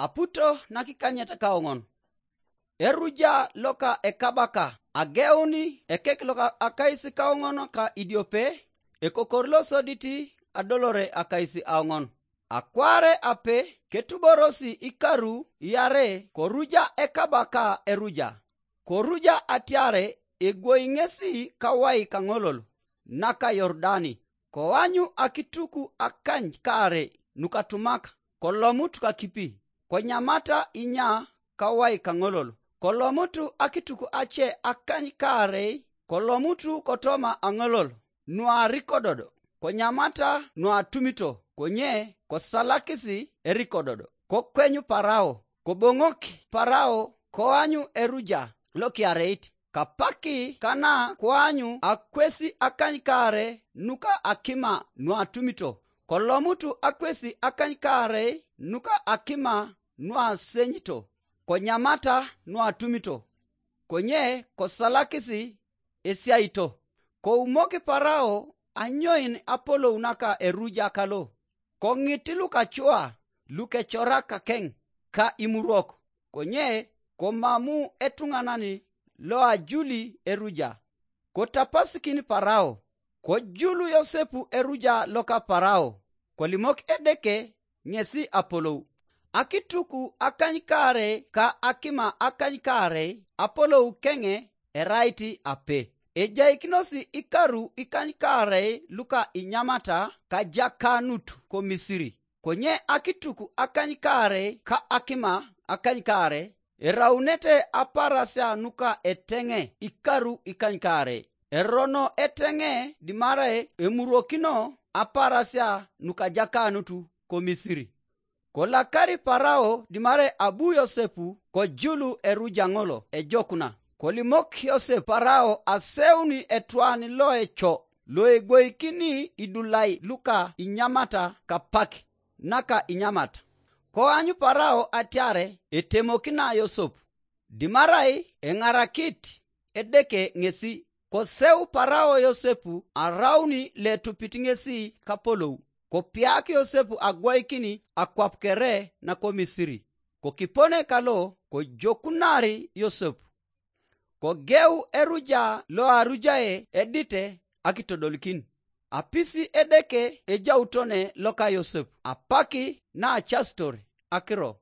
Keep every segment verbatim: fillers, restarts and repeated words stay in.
Aputo nakikanyet kaoŋon. Eruja loka ekabaka ageuni ekek loka akais kaoŋon ka idiope, ekokor losodit adolore akais aoŋon. Akwaare ape ketuborosi ikaru iare koruja ekabaka eruja. Koruja atiare egwoi ŋesi kawai kaŋolol naka Yordani, koanyu akituk akany kaare nukatumak, kolomut kakipi, konyamata inya kawai kaŋolol, kolomut akituk ace akany kaarei, kolomut kotoma aŋolol nuarikododo, konyamata nuatumito, konye kosalakisi erikododo. Kokwenyu Parao, koboŋok Parao koanyu eruja lokiareit. Kapaki kana koanyu akwesi akany kaare nuka akima nuatumito, kolomutu akwesi akany kaarei nuka akima nuasenyito, konyamata nuatumito, konye kosalakisi esiaito. Koumok Parao anyoin apolou naka eruja kalo, koŋit lukacua lukecorak kakeŋ ka imurok, konye komamu etuŋanan loajuli eruja. Kotapasikin Parao, kojulu Yosepu eruja loka Parao, kolimok Edeke ŋesi apolou. Akituk akany kaarei ka akima akany kaarei apolou keŋe erait ape. Ejaikinosi ikaru ikany kaarei luka inyamata kajakanut ko Misiri, konye akituk akany kaarei ka akima akany kaarei eraunete aparasia nuka eteŋe ikaru ikany kaarei. Erono eteŋe dimarai emurokino aparasia nukajakanut ko Misiri. Kolakari Parao dimarai abu Yosepu kojulu eruja ŋolo ejokuna. Kolimok Yosep Parao aseuni etwan loeco loegwoikini idulai luka inyamata kapak naka inyamata. Koanyu Parao atiare etemokina Yosep, dimarai eŋarakit Edeke ŋesi. Koseu Parao Yosepu arauni letupit ŋesi kapolou, kopiak Yosepu agwoikin akwap kere nako Misiri. Kokipone kalo kojokunari Yosepu. Kogeu eruja loarujae edite akitodolikin. Apisi Edeke ejautone loka Yosep apaki naacasitor akiro.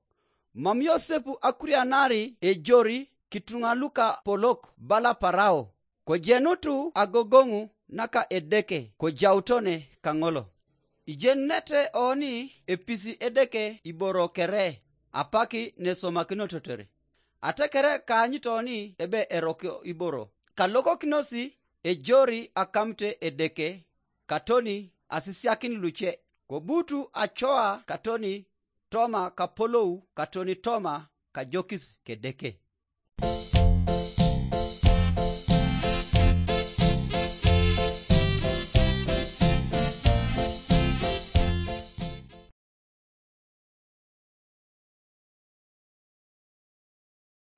Mam Yosep akurianari ejori kituŋa luka polok bala Parao, kojenutu agogoŋu naka Edeke kojautone kaŋolo. Ijenunete oni episi Edeke iboro kere, apak nesomakinototor. Atekere kaanyut oni ebe eroko iboro, kalokokinosi ejori akamute Edeke, katoni asisiakin luce, kobutu acoa katoni toma kapolou katoni toma kajokis kedeke.